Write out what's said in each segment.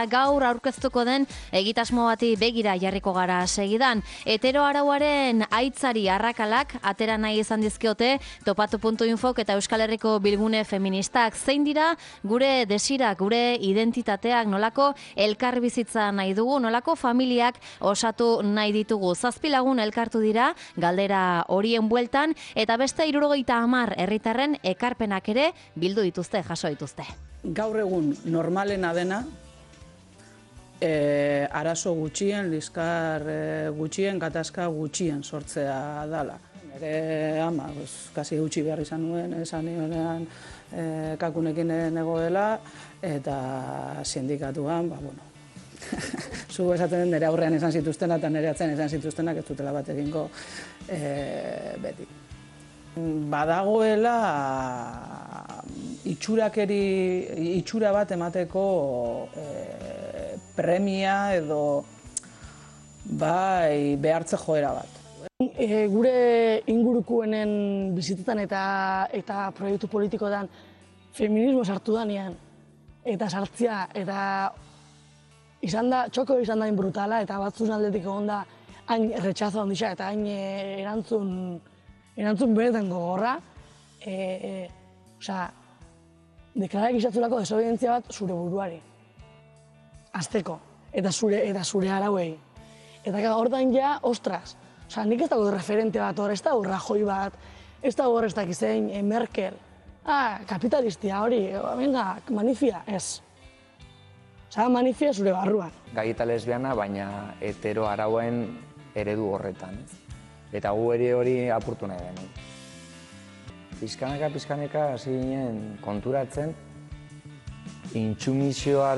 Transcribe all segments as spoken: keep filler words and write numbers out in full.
Gaur aurkeztuko den egitasmo bati begira jarriko gara segidan. Hetero arauaren aitzari arrakalak atera nahi izan dizkiote topatu puntu infok eta Euskal Herriko Bilgune Feministak. Zein dira gure desirak, gure identitateak, nolako elkarbizitza nahi dugu, nolako familiak osatu nahi ditugu. Zazpi lagun elkartu dira galdera horien bueltan eta beste hirurogeita hamar herritarren ekarpenak ere bildu dituzte, jaso dituzte. Gaur egun normalena dena, E, arazo gutxien, liskar e, gutxien, gatazka gutxien sortzea dala. Nire ama, pues, kasi gutxi behar izan nuen, esan nionean e, kakunekin negoela, eta sindikatuan, ba, bueno, zu esaten den nire aurrean izan zituztena eta nire atzen izan zituztenak ez dutela bat egingo e, beti. Badagoela itxurakeri, itxura bat emateko e, premia edo bai behartze joera bat. E, gure ingurukuenen bizitetan eta eta proiektu politikoetan feminismo sartu danean eta sartzea eta izan da, txoko izan da brutala eta batzun aldetik egon da hain retxazo handisa eta hain erantzun erantzun beretan gogorra. E, e, Osa, deklarak izatzulako desobedientzia bat zure buruari. Azteko, eta zure, eta zure arauei. Eta hortan ja, ostras, oza, nik ez dago referente bat hor, ez dago Rajoy bat, ez dago hor ez dakizein, e, Merkel, ah, kapitalistia hori, venga, manifia, ez. Oza, manifia zure barruan. Gai eta lesbiana, baina hetero arauen eredu horretan. Eta gu ere hori apurtu nahi genuen. Pizkanaka, pizkaneka, hasi ginen konturatzen, intsumisioa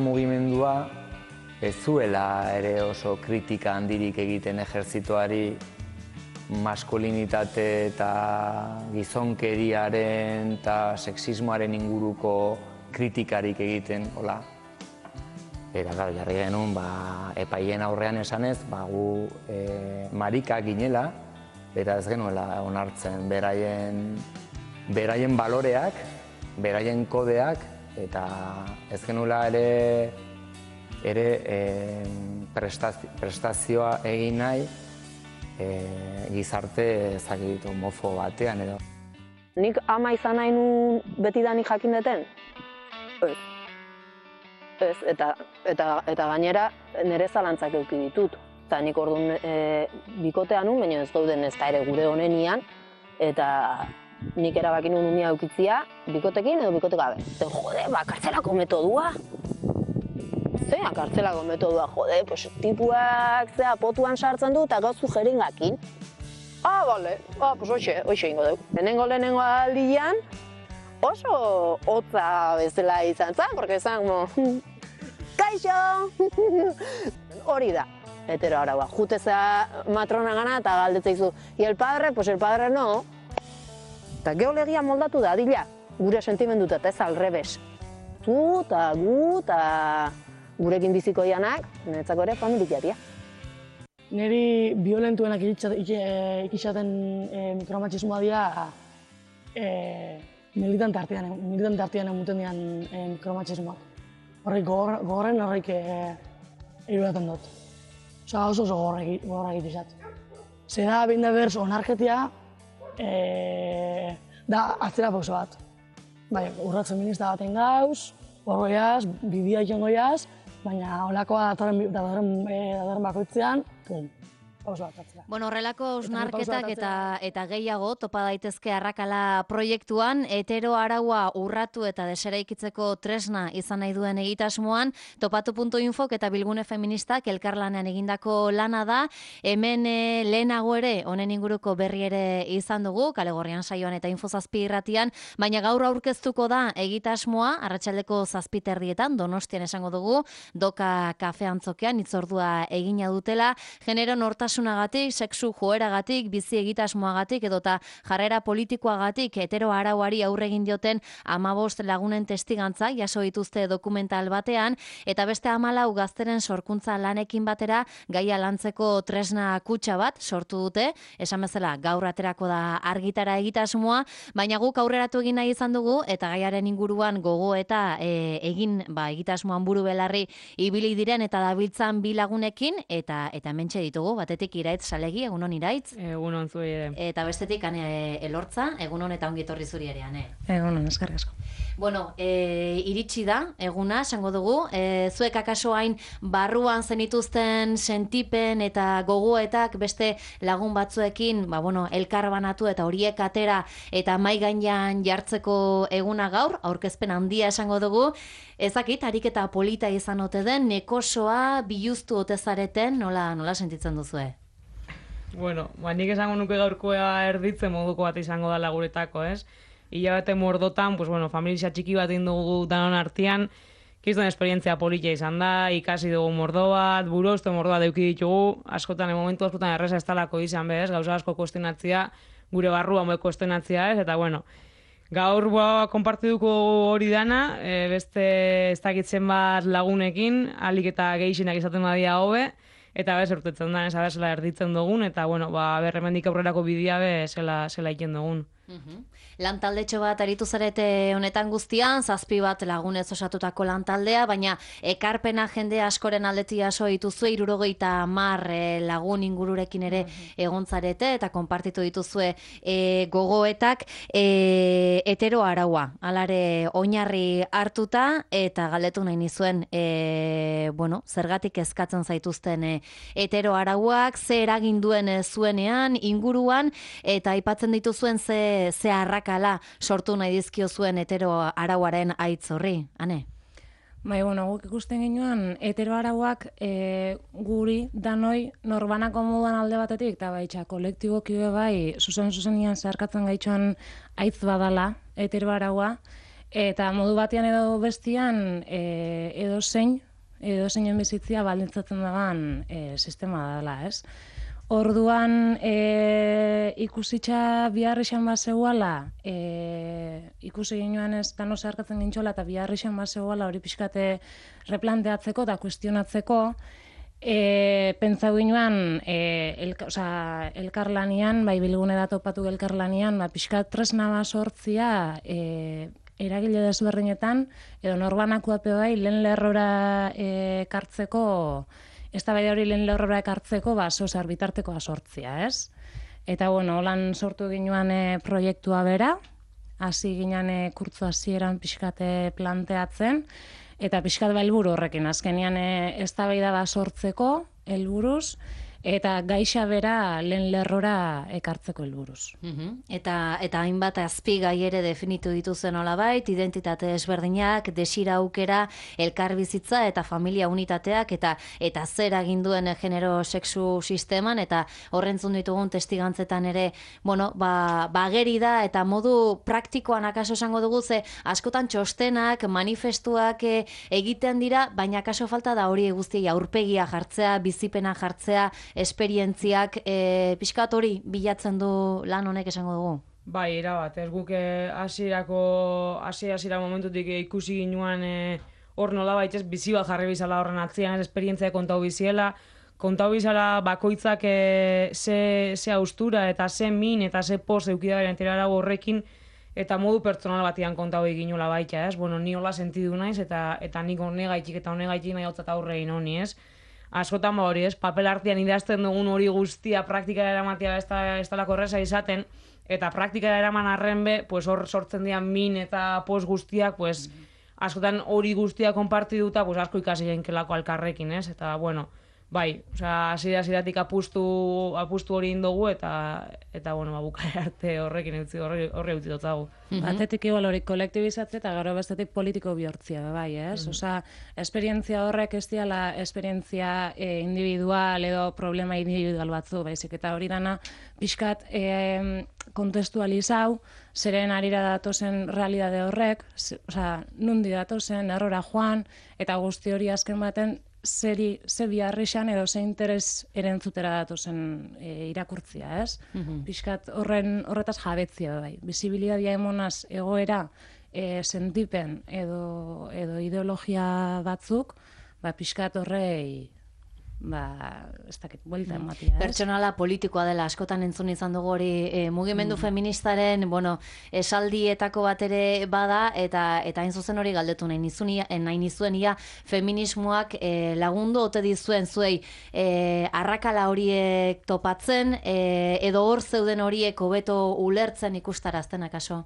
mugimendua ez zuela ere oso kritika handirik egiten ejertzitoari maskulinitate eta gizonkeriaren eta sexismoaren inguruko kritikarik egiten, hola. Eta, gara, jarri genuen, ba, epaien aurrean esanez, ba, gu e, marika ginela, eta ez genuela onartzen beraien, beraien baloreak, beraien kodeak, eta ez genuela ere, ere e, prestazio, prestazioa egin nahi e, gizarte ezagit homofo batean edo. Nik ama izan nahi nuen betidanik jakin deten? Ez. Ez, eta, eta, eta gainera nire zalantzak eduki ditut. Eta nik orduan e, bikotean nun, baina ez dauden ez da ere gure honenian, eta nik erabaki nuen unia eukitzia, bikotekin edo bikote gabe. Eta jode, ba, kartzelako metodua. Zea, kartzelako metodua, jode, pues, tipuak zea potuan sartzen du eta gauzu jeringakin. Ah, bale, ah, pues hoxe, hoxe ingo dugu. Lehenengo lehenengo aldian, oso hotza bezala izan zen, porque zan, mo, kaixo! Hori da, hetero araua. Jutezea matrona gana eta galdetzeizu, y el padre, pues el padre no. Eta geologia moldatu da, adila, gure sentimenduta eta ez alrebes. Zu eta gu eta gurekin biziko janak, niretzako ere familiaria. Niri violentuenak ikisaten e, mikromatxismoa dira e, militante artean, militante artean emuten dian e, mikromatxismoak. Horrek gogorren horrek e, irudatan dut. Osa oso oso gogorra egitizat. Zeda behin da berz onarketia, e, da atzera pauso bat. Bai, urrat feminista baten gauz, horroiaz, bidea ikengoiaz, baina holakoa datorren bakoitzean, pum, pauso bat atzera. Bueno, horrelako osnarketak eta, eta gehiago topa daitezke arrakala proiektuan, hetero araua urratu eta deseraikitzeko tresna izan nahi duen egitasmoan, topatu puntu infok eta Bilgune Feministak elkarlanean egindako lana da, hemen e, lehenago ere, honen inguruko berri ere izan dugu, Kale Gorrian saioan eta Info Zazpi irratian, baina gaur aurkeztuko da egitasmoa, arratsaldeko zazpi terdietan, Donostian esango dugu, Doka kafe antzokean, itzordua egina dutela, genero nortasun gaitasunagatik, sexu joeragatik, bizi egitasmoagatik edota jarrera politikoagatik hetero arauari aurre egin dioten hamabost lagunen testigantza jaso dituzte dokumental batean, eta beste hamalau gazteren sorkuntza lanekin batera gaia lantzeko tresna kutxa bat sortu dute, esan bezala gaur aterako da argitara egitasmoa, baina guk aurreratu egin nahi izan dugu eta gaiaren inguruan gogo eta e, egin ba, egitasmoan buru belarri ibili diren eta dabiltzan bi lagunekin, eta eta hementxe ditugu, batetik Iraitz Salegi, egunon Iraitz. Egunon zuri ere. Eta bestetik Ane Elortza, egunon eta ongi etorri zuri ere, Ane. Egunon, eskerrik asko. Bueno, e, iritsi da, eguna, esango dugu, e, zuek akaso hain barruan zenituzten sentipen eta gogoetak beste lagun batzuekin, ba, bueno, elkar banatu eta horiek atera eta mai gainean jartzeko eguna gaur, aurkezpen handia esango dugu, ezakit, ariketa polita izan ote den, nekosoa biluztu ote zareten, nola, nola sentitzen duzue? Bueno, ba, nik esango nuke gaurkoa erditzen moduko bat izango dela guretako, ez? Hilabete mordotan, pues bueno, familia txiki bat dugu danon artean, kizton esperientzia polita izan da, ikasi dugu mordo bat, buruzte mordo bat eduki ditugu, askotan, momentu askotan erreza ez talako izan bez, gauza asko kuestionatzea, gure barrua moe kuestionatzea ez, eta bueno, gaur ba, konpartituko hori dana, e, beste ez dakitzen bat lagunekin, alik eta gehixenak izaten badia hobe, eta bez, urtetzen da, ez abezela erditzen dugun, eta bueno, ba, berremendik aurrerako bidea be, zela, zela iken dugun. Uhum. Lantaldetxo bat aritu zarete honetan guztian, zazpi bat lagunez osatutako lantaldea, baina ekarpena jende askoren aldetik jaso dituzue, hirurogeita hamar e, lagun ingururekin ere egon zarete eta konpartitu dituzue e, gogoetak, e, hetero araua, alare oinarri hartuta, eta galdetu nahi nizuen, e, bueno, zergatik eskatzen zaituzten e, hetero arauak, ze eragin duen e, zuenean, inguruan, eta aipatzen dituzuen ze ze arrakala sortu nahi dizkio zuen hetero arauaren aitz horri, Ane? Bai, bueno, guk ikusten ginuan, hetero arauak e, guri, danoi, norbanako moduan alde batetik, eta baitxa, kolektiboki bai, zuzen-zuzenian zeharkatzen gaitxoan aitz badala, hetero araua, eta modu batean edo bestian, e, edo zein, edo zeinen bizitzia baldintzatzen dagoen e, sistema dela, ez? Orduan e, ikusitza bihar izan bat zeuala, e, ikusi ginuan ez dano zeharkatzen gintxola eta bihar izan bat zeuala hori pixkate replanteatzeko eta kuestionatzeko, e, pentsau ginuan e, elka, oza, elkarlanian, bai bilgune da topatu elkarlanian, ba, pixkat tresna bat sortzia e, eragile desberdinetan, edo norbanakoape bai lehen lerrora e, kartzeko, ez da hori lehen lerrora ekartzeko, ba, zozer bitartekoa sortzia, ez? Eta, bueno, holan sortu ginuan e, proiektua bera, hasi ginen e, kurtzu hasieran pixkate planteatzen, eta pixkat ba helburu horrekin, azkenean e, eztabaida bat sortzeko helburuz, eta gaixa bera lehen lerrora ekartzeko helburuz. Uhum. Eta eta hainbat azpigai ere definitu dituzen nolabait, identitate ezberdinak, desira aukera, elkarbizitza eta familia unitateak eta eta zer egin duen genero sexu sisteman, eta horrentzun ditugun testigantzetan ere, bueno, ba, bageri da eta modu praktikoan akaso esango dugu, ze askotan txostenak, manifestuak e, egiten dira, baina akaso falta da hori guztiei aurpegia jartzea, bizipena jartzea, esperientziak, e, pixkat hori bilatzen du lan honek esango dugu? Bai, erabat, ez guk hasierako hasi hasiera momentutik e, ikusi ginuan e, hor nola baitez bizi bat jarri bizala horren atzian, ez esperientzia kontau biziela, kontau bizala bakoitzak e, ze, ze austura eta ze min eta ze poz eukida beren tirarago horrekin, eta modu pertsonal batian kontau eginula baita, ez? Bueno, ni hola sentidu naiz, eta eta nik honegaitik eta honegaitik nahi hautzat aurrein honi, ez? Askotan ba hori, ez, papel artean idazten dugun hori guztia praktikara eramatea ez talako erreza izaten, eta praktikara eraman arren be, pues hor sortzen dian min eta post guztiak, pues, askotan hori guztia konpartituta, pues asko ikasi genkelako alkarrekin, ez? Eta, bueno, bai, osea, hasiera-hasieratik apustu, apustu hori indogu, eta, eta bueno, ba, bukaera arte horrekin eutzi, horre, horre eutzi dotzagu. Batetik igual hori kolektibizatze eta gero bestetik politiko bihurtzia, bai, ez? Mm. Osea, esperientzia horrek ez diala esperientzia e, individual edo problema individual batzu, baizik, eta hori dana pixkat e, kontestualizau, zeren arira datozen realidade horrek, osea, nundi datozen, errora joan, eta guzti hori azken baten zeri, ze biharrixan edo ze interes erentzutera datozen e, irakurtzia, ez? Mm-hmm. Piskat horren, horretaz jabetzia bai. Bizibilidadia emonaz egoera, e, sentipen edo, edo ideologia batzuk, ba, piskat horrei ba, ez dakit, buelta ematia, ez? Pertsonala politikoa dela, askotan entzun izan dugu hori e, mugimendu mm. feministaren, bueno, esaldietako bat ere bada, eta eta hain zuzen hori galdetu nahi nizunia, nahi nizuen ia feminismoak e, lagundu ote dizuen zuei e, arrakala horiek topatzen, e, edo hor zeuden horiek hobeto ulertzen ikustarazten akaso?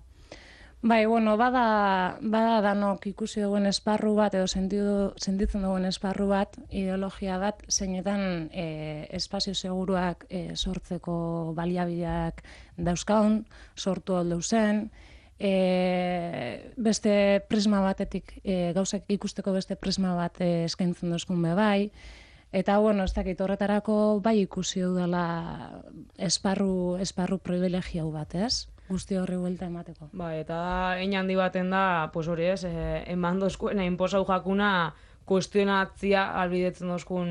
Bai, bueno, bada, bada danok ikusi duen esparru bat, edo sentidu, sentitzen duen esparru bat, ideologia bat, zeinetan e, espazio seguruak e, sortzeko baliabideak dauzkaun, sortu aldo zen, e, beste prisma batetik, e, gauzak ikusteko beste prisma bat e, eskaintzen duzkun be bai, eta, bueno, ez dakit horretarako bai ikusi dudala esparru, esparru privilegiau bat, ez? Guzti horri buelta emateko. Ba, eta hein handi baten da, pues hori ez, eh, eman dozkuena, inposau jakuna, kuestionatzia albidetzen dozkun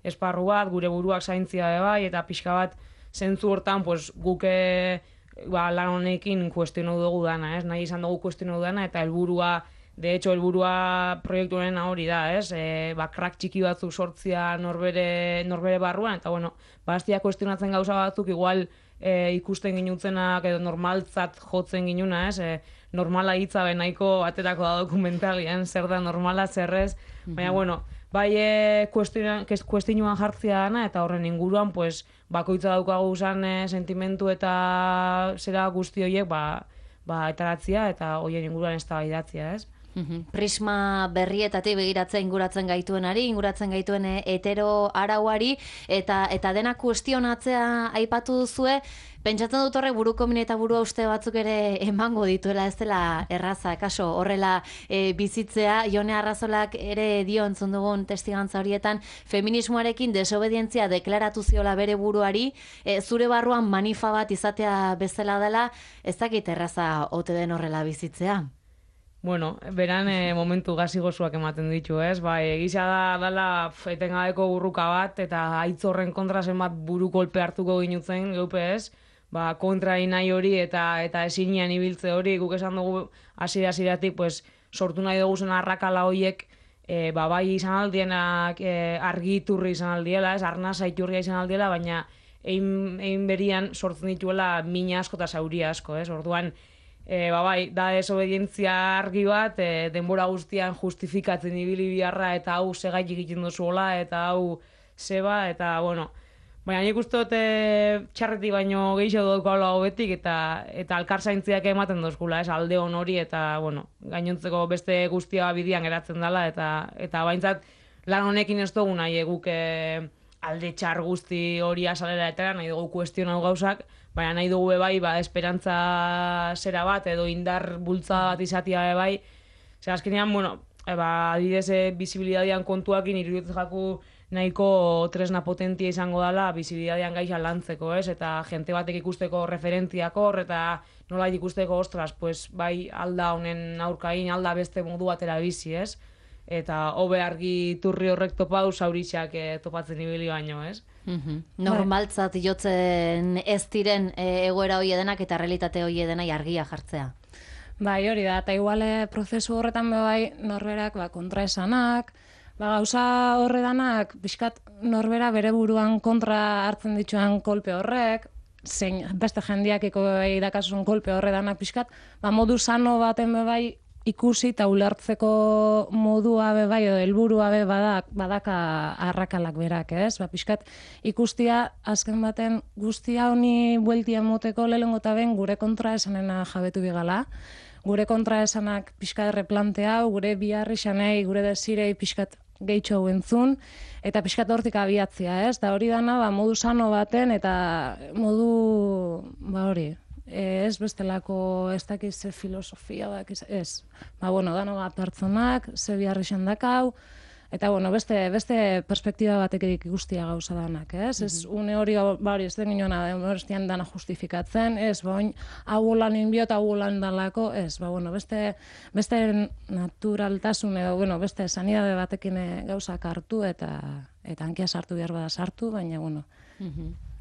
esparru bat, gure buruak zaintzia de bai, eta pixka bat zentzu hortan, pues guke ba, lan honekin kuestionau dugu dana, ez? Nahi izan dugu kuestionau dana, eta helburua, de hecho, helburua proiektu honen hori da, ez? E, ba, krak txiki batzuk sortzia norbere, norbere barruan, eta bueno, bastia kuestionatzen gauza batzuk, igual, E, ikusten ginutzenak edo normaltzat jotzen ginuna, ez? E, normala hitza nahiko aterako da dokumentalian, zer da normala, zerrez, baina, mm-hmm. bueno, bai e, kuestionuan jartzia dana, eta horren inguruan, pues, bakoitza daukagu zan e, sentimentu eta zera guzti horiek, ba, ba, etaratzia, eta horien inguruan ez da baidatzia, ez? Uhum. Prisma berrietatik begiratzen inguratzen gaituenari, inguratzen gaituen hetero arauari, eta eta dena kuestionatzea aipatu duzue, pentsatzen dut horrek buruko min eta burua uste batzuk ere emango dituela, ez dela erraza, kaso horrela e, bizitzea. Jone Arrazolak ere dio entzun dugun testigantza horietan, feminismoarekin desobedientzia deklaratu ziola bere buruari, e, zure barruan manifa bat izatea bezala dela, ez dakit erraza ote den horrela bizitzea. Bueno, beran e, momentu gazigozuak ematen ditu, ez? Bai, egisa da dala etengabeko burruka bat, eta haitz horren kontra zenbat buru kolpe hartuko ginutzen, geupe ez? Ba, kontra inai hori eta eta ezinean ibiltze hori, guk esan dugu hasiera-hasieratik, pues, sortu nahi dugu zen arrakala horiek, e, ba, bai izan aldienak e, argiturri izan aldiela, ez? Arnasa iturria izan aldiela, baina egin, egin berian sortzen dituela mina asko eta zauria asko, ez? Orduan, E, ba bai, da desobedientzia argi bat, e, denbora guztian justifikatzen ibili biharra, eta hau segaitik egiten duzuela, eta hau zeba, eta bueno, baina nik uste dut e, txarreti baino gehiago dut gaula hobetik, eta eta alkarzaintziak ematen dozkula, ez, alde hon hori, eta bueno, gainontzeko beste guztia bidian geratzen dela, eta eta baintzat lan honekin ez dugu nahi guk e, alde txar guzti hori asalera etera, nahi dugu kuestionau gauzak, baina nahi dugu bai, ba, esperantza zera bat, edo indar bultza bat izatea bai. Zer, azkenean, bueno, e, ba, adidez, e, bizibilidadian kontuakin iruditzen jaku nahiko tresna potentia izango dela bizibilidadian gaixa lantzeko, ez? Eta jente batek ikusteko referentziak hor, eta nola ikusteko, ostras, pues, bai, alda honen aurkain, alda beste modu batera bizi, ez? Eta hobe argi turri horrek topau zauritxak e, topatzen ibili baino, ez? Mm-hmm. Normaltzat jotzen ez diren e, egoera hoi edenak eta realitate hoi edenai argia jartzea. Bai, hori da, eta iguale prozesu horretan bai norberak ba, kontraesanak, ba, gauza horredanak, pixkat norbera bere buruan kontra hartzen dituan kolpe horrek, zein beste jendiakiko idakasun kolpe horredanak pixkat, ba, modu sano baten bai ikusi eta ulertzeko modua be bai edo helburua be badak badaka arrakalak berak, ez? Ba pixkat ikustia azken baten guztia honi bueltia moteko lehengo ta ben gure kontraesanena jabetu bigala. Gure kontraesanak pixkat erreplanteau, gure biharrisanei, gure desirei pixkat gehitxo entzun eta pixkat hortik abiatzia, ez? Da hori dana ba modu sano baten eta modu ba hori ez bestelako ez dakiz ze filosofia da, ez. Ba, bueno, dano bat pertsonak, ze biharri xandakau, Eta, bueno, beste, beste perspektiba batekirik ikustia gauza danak, ez? Ez une hori, bari, ez den ginoena, horrestian dana justifikatzen, ez, bain, hau lan inbiot, hau lan dalako, ez, ba, bueno, beste, beste naturaltasun edo, bueno, beste sanidade batekin gauzak hartu eta eta hankia sartu behar bada sartu, baina, bueno.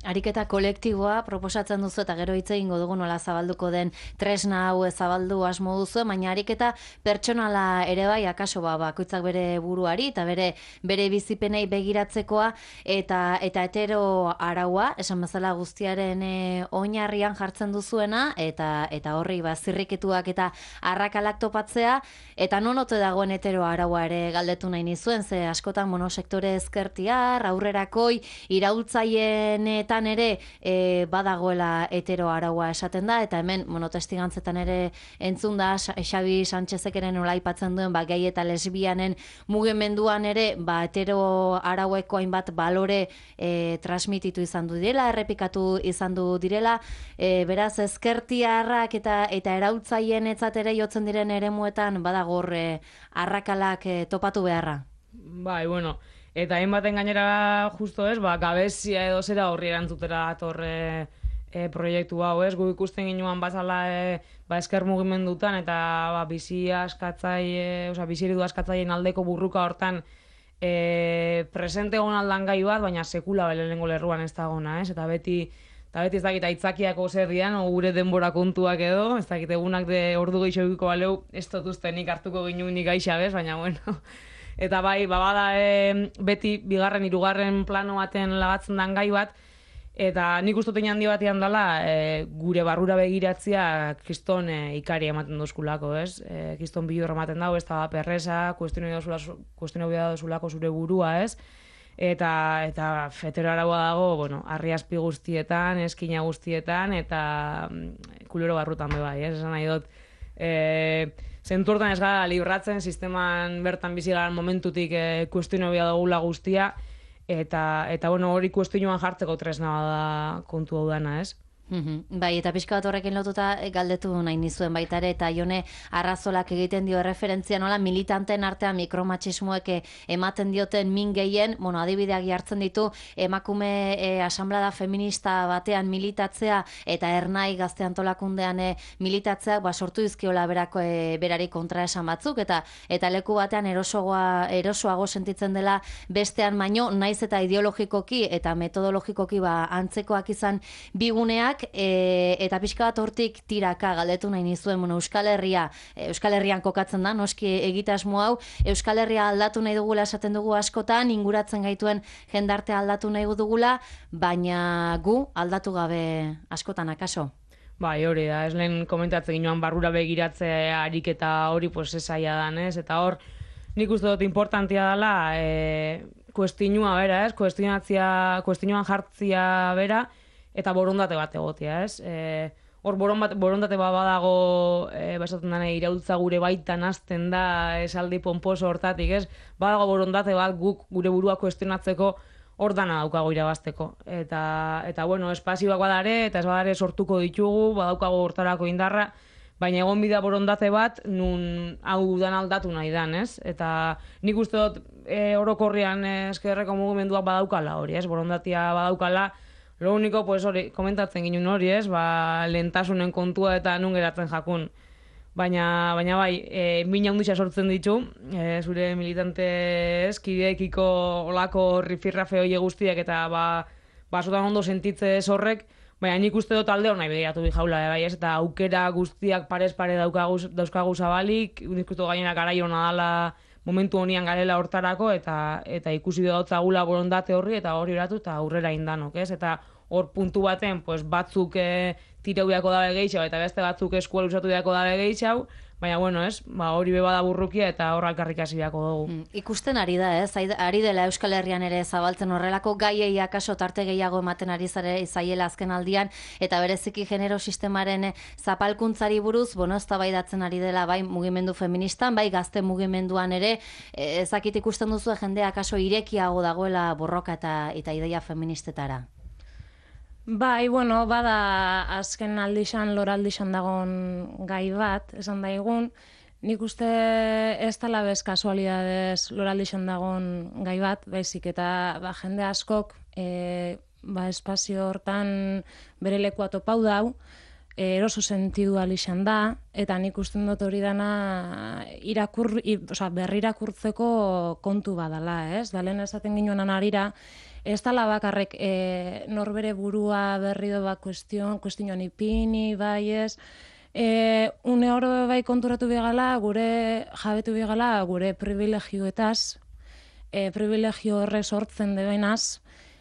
Ariketa kolektiboa proposatzen duzu eta gero hitz egingo dugu nola zabalduko den tresna hau zabaldu asmo duzu, baina ariketa pertsonala ere bai, akaso ba, bakoitzak bere buruari eta bere bere bizipenei begiratzekoa eta eta hetero araua, esan bezala guztiaren e, oinarrian jartzen duzuena eta eta horri ba zirriketuak eta arrakalak topatzea eta non ote dagoen hetero araua ere galdetu nahi nizuen, ze askotan monosektore ezkertiar, aurrerakoi, iraultzaileen tan ere e, badagoela hetero araua esaten da, eta hemen monotestigantzetan ere entzun da Xabi Sánchezek ere nola aipatzen duen ba, gai eta lesbianen mugimenduan ere ba, hetero araueko hainbat balore e, transmititu izan du direla, errepikatu izan du direla, e, beraz ezkertiarrak eta eta eraultzaien etzat ere jotzen diren eremuetan badagor e, arrakalak e, topatu beharra. Bai, bueno, eta hainbaten gainera justo ez, ba, gabezia edo zera horri erantzutera atorre e, proiektu hau ez, gu ikusten ginuan bazala e, ba, esker mugimendutan eta ba, bizi askatzaile, osea, bizi eredu askatzaileen aldeko burruka hortan e, presente egon aldan gai bat, baina sekula lehenengo lerruan ez dagona, ez, eta beti eta beti ez dakit aitzakiako zer dian, o gure denbora kontuak edo, ez dakit egunak de ordu gehiagiko baleu, ez dutuztenik hartuko ginu nik aixa, bez, baina bueno. Eta bai, babada e, beti bigarren, hirugarren plano baten lagatzen dan gai bat, eta nik ustotein handi batean dela e, gure barrura begiratzea kriston e, ikari ematen dozkulako, ez? E, kriston bilur ematen dago, ez da perresa, kuestionio bida dozulako zure burua, ez? Eta, eta hetero araua dago, bueno, arriazpi guztietan, eskina guztietan, eta mm, kulero barrutan be bai, ez? Esan nahi dut, e, zentu hortan ez gara libratzen, sisteman bertan bizi gara momentutik e, kuestionio bia dugula guztia, eta, eta bueno, hori kuestionoan jartzeko tresna da kontu hau dana, ez? Mm-hmm. Bai, eta pixka bat horrekin lotuta galdetu nahi nizuen baita ere, eta Jone Arrazolak egiten dio referentzia nola militanten artean mikromatxismoek ematen dioten min gehien, bueno, adibideak jartzen ditu, emakume e, asamblada feminista batean militatzea eta ernai gazte antolakundean e, militatzeak ba, sortu dizkiola berako e, berari kontraesan batzuk, eta eta leku batean erosoagoa, erosoago sentitzen dela bestean baino, naiz eta ideologikoki eta metodologikoki ba, antzekoak izan biguneak, E, eta pixka bat hortik tiraka galdetu nahi nizuen, bueno, Euskal Herria, Euskal Herrian kokatzen da, noski egitasmo hau, Euskal Herria aldatu nahi dugula esaten dugu askotan, inguratzen gaituen jendartea aldatu nahi dugula, baina gu aldatu gabe askotan akaso. Bai, hori da, ez lehen komentatzen ginoan barrura begiratzea ariketa hori pues esaia dan, ez? Eta hor, nik uste dut importantia dela, e, kuestinua bera, ez? Kuestionatzia, kuestionuan jartzia bera, eta borondate bat egotea, ez? E, hor borondate bat badago, e, basatzen dena, iraultza gure baitan hasten da, esaldi pomposo hortatik, ez? Badago borondate bat guk gure burua kuestionatzeko hor dana daukago irabazteko. Eta, eta bueno, espazioak badare, eta ez badare sortuko ditugu, badaukago hortarako indarra, baina egon bida borondate bat, nun hau dan aldatu nahi dan, ez? Eta nik uste dut e, orokorrian eskerreko mugimenduak badaukala hori, ez? Borondatia badaukala, lo único, pues hori, komentatzen ginen hori, ez? Ba, lehentasunen kontua eta nun geratzen jakun. Baina, baina bai, e, min handutxa sortzen ditu, e, zure militante eskideekiko olako rifirrafe hoi guztiak eta ba, basotan ondo sentitze ez horrek, baina nik uste dut alde hor nahi begiratu bi jaula, bai, ez? Eta aukera guztiak parez pare dauzkagu, dauzkagu zabalik, nik uste dut gainera garai hona dala momentu honian garela hortarako, eta eta ikusi dagotzagula borondate horri, eta hori oratu, eta aurrera indanok, ez? Eta hor puntu baten, pues, batzuk e, tireu beako dabe gehiago, eta beste batzuk eskuela usatu beako dabe gehiago, baina, bueno, ez, ba, hori beba da burrukia, eta hor alkarrik hasi beako dugu. Mm, ikusten ari da, ez? Ari dela Euskal Herrian ere zabaltzen horrelako gaiei akaso tarte gehiago ematen ari zare zaiela azken aldian, eta bereziki genero sistemaren zapalkuntzari buruz, bueno, eztabaidatzen ari dela bai mugimendu feministan, bai gazte mugimenduan ere, ezakit ikusten duzu jendea akaso irekiago dagoela borroka eta, eta ideia feministetara. Bai, bueno, bada azken aldixan, lor aldixan dagon gai bat, esan daigun, Nik uste ez dela bez kasualidadez loraldixen dagon gai bat, baizik eta ba, jende askok e, ba, espazio hortan bere lekua topau dau, e, eroso sentidu alixan da, eta nik usten dut hori dana irakur, ir, oza, berrirakurtzeko kontu badala, ez? Da lehen esaten ginoenan arira, ez dala bakarrek e, norbere burua berri do bat kuestion, kuestionan ipini, bai ez, E, une oro bai konturatu bigala, gure jabetu bigala, gure privilegioetaz, e, privilegio horre sortzen debenaz,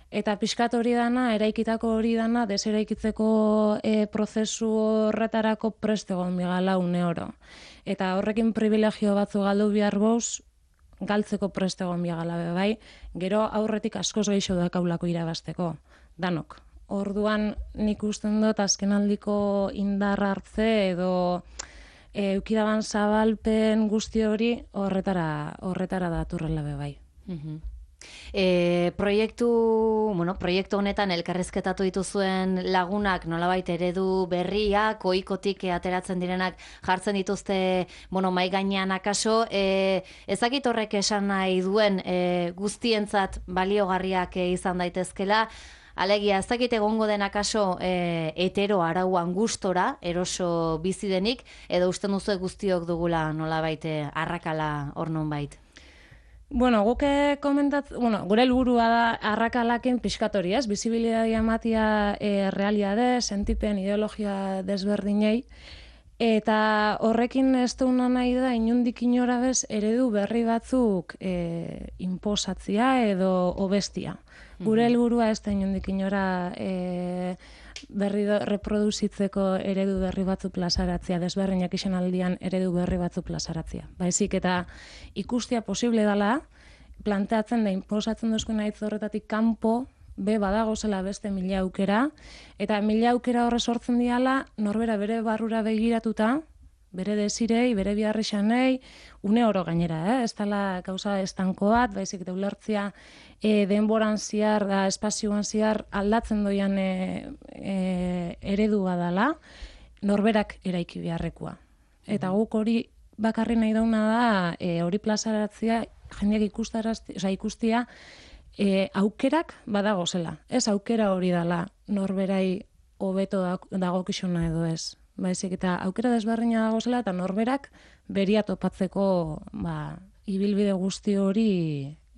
eta pixkat hori dana, eraikitako hori dana, deseraikitzeko e, prozesu horretarako prest egon bigala une oro. Eta horrekin privilegio batzu galdu behar goz, galtzeko prest egon bigala be bai, gero aurretik askoz gehiago dakaulako irabazteko, danok. Orduan nik usten dut azkenaldiko indar hartze edo e, eukidaban zabalpen guzti hori horretara horretara daturrela be bai. Mm-hmm. E, proiektu, bueno, proiektu honetan elkarrizketatu dituzuen lagunak nolabait eredu berriak, ohikotik ateratzen direnak jartzen dituzte, bueno, mai gainean akaso, e, ezakit horrek esan nahi duen e, guztientzat baliogarriak e, izan daitezkela. Alegia, ez dakit egongo den akaso e, hetero arauan gustora, eroso bizi denik, edo usten duzu guztiok dugula nolabait arrakala hor nonbait? Bueno, guke komentat, bueno, gure helburua da arrakalakin pixkatori, ez? Bizibilidadia ematia e, realiade, sentipen, ideologia desberdinei, eta horrekin ez duna nahi da inundik inora bez eredu berri batzuk e, inposatzia edo obestia. Gure helburua ez da inundik inora e, berri do, reproduzitzeko eredu berri batzu plazaratzea, desberdinak izan aldian eredu berri batzu plazaratzea. Baizik eta ikustia posible dela, planteatzen da inposatzen duzko nahi horretatik kanpo, be badago zela beste mila aukera, eta mila aukera horre sortzen diala, norbera bere barrura begiratuta, bere desirei, bere biharrixanei, une oro gainera, eh? Ez dela gauza estanko bat, baizik eta ulertzia e, denboran ziar, da espazioan ziar aldatzen doian e, e, eredua dela, norberak eraiki beharrekoa. Eta guk hori bakarri nahi dauna da, e, hori plazaratzea, jendeak ikustarazti, oza, ikustia, e, aukerak badago zela. Ez aukera hori dela, norberai hobeto dagokizuna edo ez. Baizik eta aukera desberdina dago zela eta norberak beria topatzeko ba, ibilbide guzti hori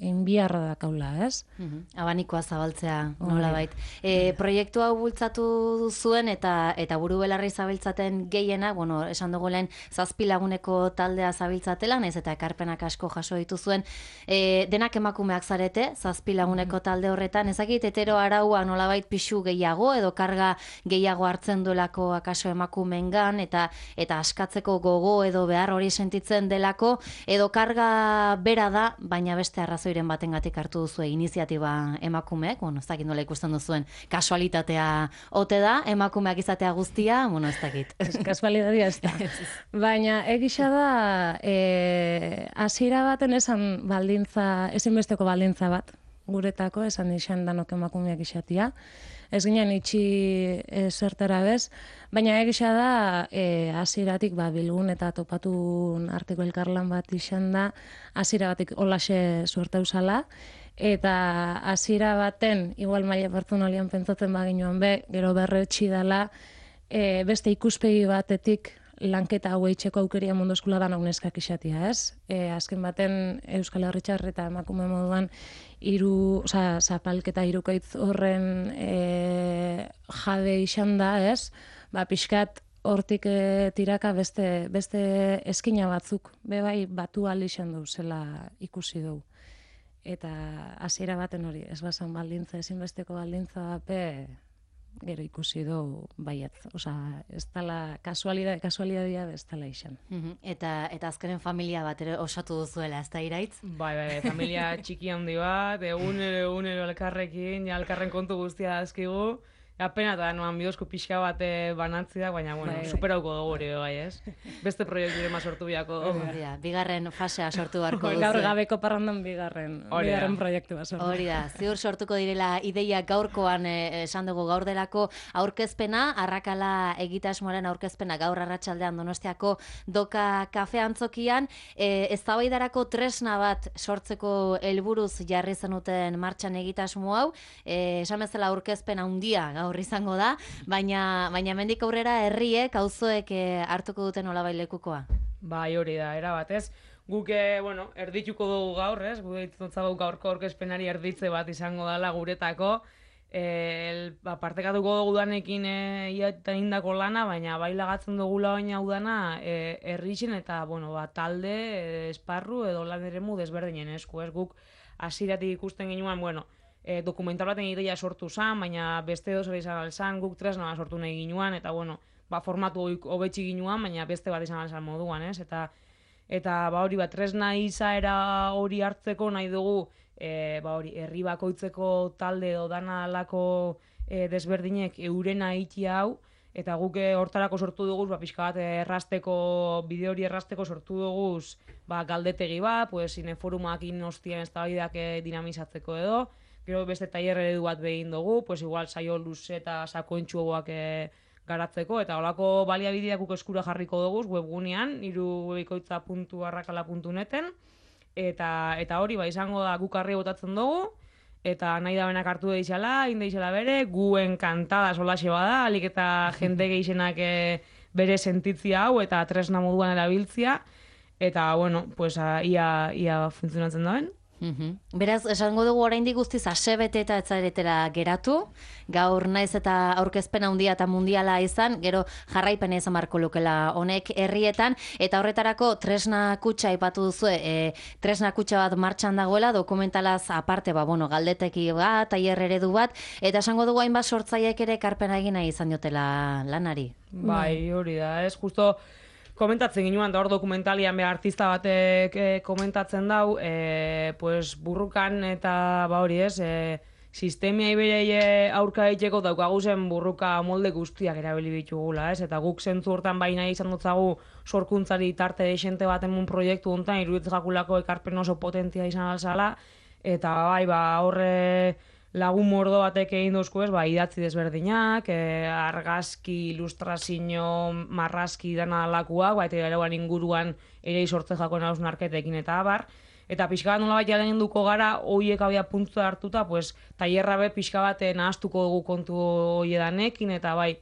enbiarra dakaula, ez? Mm-hmm. Abanikoa zabaltzea nolabait. E, proiektu hau bultzatu zuen eta eta buru belarri zabiltzaten gehiena, bueno, esan dugu lehen zazpi laguneko taldea zabiltzatela, naiz eta ekarpenak asko jaso dituzuen, e, denak emakumeak zarete, zazpi laguneko talde horretan, ezakit hetero araua nolabait pixu gehiago edo karga gehiago hartzen duelako akaso emakumeengan eta eta askatzeko gogo edo behar hori sentitzen delako, edo karga bera da, baina beste arrazoi batengatik hartu duzue iniziatiba emakumeek, bueno, ez dakit nola ikusten duzuen, kasualitatea ote da, emakumeak izatea guztia, bueno, ez dakit. Ez kasualitatea ez da. Baina egisa da, e, hasiera baten esan baldintza, ezinbesteko baldintza bat, guretako, esan izan danok emakumeak izatea. Ez ginen itxi e, zertara bez, baina egisa da, e, hasieratik ba, bilgun eta topatun arteko elkarlan bat izan da, hasiera batik holaxe suerte usala, eta hasiera baten, igual maila pertsonalian pentsatzen baginoan be, gero berretxi dela, e, beste ikuspegi batetik lanketa hau eitzeko aukeria mundu eskula da nauneskak izatea, ez? E, azken baten Euskal Herritxar eta emakume moduan hiru, osea, zapalketa hirukaitz horren e, jabe izan da, ez? Ba, pixkat hortik e, tiraka beste beste eskina batzuk, be bai batu ahal izan du zela ikusi dugu. Eta hasiera baten hori, ez bazan baldintza, ezinbesteko baldintza bape, gero ikusi du baiet, osea, ez dela kasualidade, kasualidadia ez dela izan. Mm-hmm. Eta eta azkenen familia bat ere osatu duzuela, ez da Iraitz? Bai, bai, familia txiki handi bat, egunero egunero elkarrekin, ja elkarren kontu guztia dazkigu, apena eta noan bidozko pixka bat banatzi da, baina, bueno, Bai, bai. superauko dugu hori bai, ez? Beste proiektu ere sortu biako dugu. Hori da, bigarren fasea sortu beharko duzu. Gaur gabeko parrandan bigarren, Hori da. bigarren proiektua sortu. Hori da, ziur sortuko direla ideia gaurkoan eh, esan dugu gaur delako aurkezpena, Arrakala egitasmoaren aurkezpena gaur arratsaldean Donostiako Doka kafe antzokian, eh, eztabaidarako tresna bat sortzeko helburuz jarri zenuten martxan egitasmo hau, eh, esan bezala aurkezpen handia gaur izango da, baina baina hemendik aurrera herriek, auzoek eh, hartuko duten nolabait lekukoa. Bai, hori da, era batez. Guk, eh, bueno, erdituko dugu gaur, ez? Guk ditutzagu gaurko aurkezpenari erditze bat izango dela guretako. Eh, ba, partekatuko dugu danekin eh, ia eta indako lana, baina bai lagatzen dugula baina hau dana eh, herrixen eta, bueno, ba, talde, eh, esparru edo lan eremu desberdinen esku, ez? Guk hasieratik ikusten ginuan, bueno, E, dokumental baten ideia sortu zen, baina beste edo zer izan alzan, guk tresna sortu nahi ginuan, eta bueno, ba, formatu hobetsi ginuan, baina beste bat izan alzan moduan, ez? Eta, eta ba, hori bat tresna izaera hori hartzeko nahi dugu, e, ba, hori, herri bakoitzeko talde edo dana alako e, desberdinek eurena iti hau, eta guk e, hortarako sortu dugu, ba, pixka bat errasteko, bide hori errasteko sortu dugu, ba, galdetegi bat, pues, ineforumak inostien eztabaidak e, dinamizatzeko edo, gero beste tailer eredu bat behin dugu, pues igual saio luze eta sakoentsuagoak e, garatzeko, eta holako baliabideak guk eskura jarriko dugu webgunean, irubebikoitza puntu arrakala puntu neten, eta, eta hori ba izango da guk harri botatzen dugu, eta nahi da benak hartu deixala, indeixala bere, guen kantada solaxe bada, alik eta jende gehienak e, bere sentitzia hau, eta tresna moduan erabiltzia, eta bueno, pues a, ia, ia funtzionatzen dauen. Uhum. Beraz, esango dugu oraindik guztiz asebete eta etzaretera geratu, gaur naiz eta aurkezpen handia eta mundiala izan, gero jarraipena izan barko lukela honek herrietan, eta horretarako tresna kutxa aipatu duzue, e, tresna kutxa bat martxan dagoela, dokumentalaz aparte, ba, bueno, galdeteki bat, tailer eredu bat, eta esango dugu hainbat sortzaileek ere ekarpena egina izan diotela lanari. Bai, hori da, ez, justo komentatzen ginuan, da hor dokumentalian be artista batek e, komentatzen dau, e, pues burrukan eta ba hori ez, e, sistemia iberei aurka egiteko daukagu zen burruka molde guztiak erabili ditugula, ez? Eta guk zentzu hortan baina izan dutzagu sorkuntzari tarte desente baten mun proiektu hontan iruditzen jakulako ekarpen oso potentia izan alzala, eta bai, ba, horre lagun mordo batek egin duzku ez, ba, idatzi desberdinak, e, argazki, ilustrazio, marrazki dana alakuak, ba, eta erauan inguruan ere sortze jako nausnarketekin eta abar. Eta pixka bat nola bat jalen duko gara, hoiek abia puntu hartuta, pues, tailerra be pixka bat nahaztuko dugu kontu hoiedanekin, eta bai,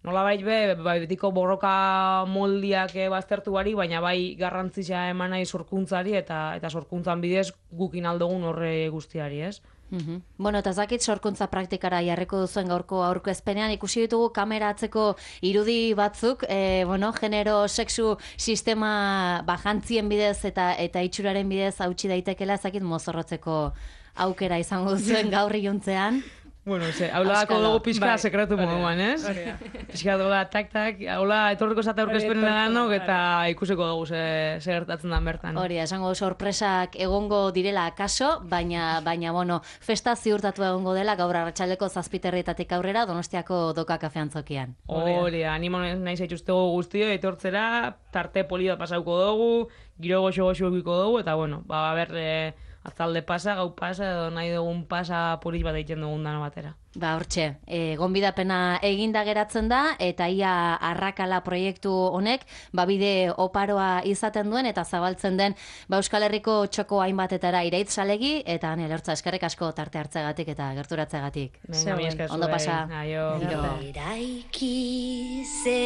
nola bai be, bai, betiko borroka moldiak e, baztertu bari, baina bai garrantzia eman nahi sorkuntzari, eta, eta sorkuntzan bidez gukin aldogun horre guztiari, ez? Uhum. Bueno, eta zakit sorkuntza praktikara jarriko duzuen gaurko aurkezpenean ikusi ditugu kamera atzeko irudi batzuk, e, bueno, genero, sexu sistema bajantzien bidez eta eta itxuraren bidez hautsi daitekela, zakit mozorrotzeko aukera izango duzuen gaur iluntzean. Bueno, ze, haulako dugu pixka bai, sekretu moduan, ez? Pixka dola, tak-tak, haula etorriko zate aurkezpenen danok eta ikusiko dugu ze, ze gertatzen da bertan. Hori, esango sorpresak egongo direla akaso, baina, baina bueno, festa ziurtatu egongo dela gaur arratsaldeko zazpiterrietatik aurrera Donostiako Doka kafe antzokian. Hori, animo nahi zaituztego guztio, etortzera, tarte poli bat pasauko dugu, giro goxo-goxo egiko dugu, eta bueno, ba, ber, e, azalde pasa, gau pasa, edo nahi dugun pasa polis bat egiten dugun dana batera. Ba, hortxe, e, gonbidapena eginda geratzen da, eta ia Arrakala proiektu honek, ba, bide oparoa izaten duen, eta zabaltzen den, ba, Euskal Herriko txoko hainbatetara iraitz salegi, eta ane, lertza, eskerrik asko tarte hartzegatik eta gerturatzegatik. Venga, mi esker Ondo zuei. pasa. Aio. Giro. Eraiki ze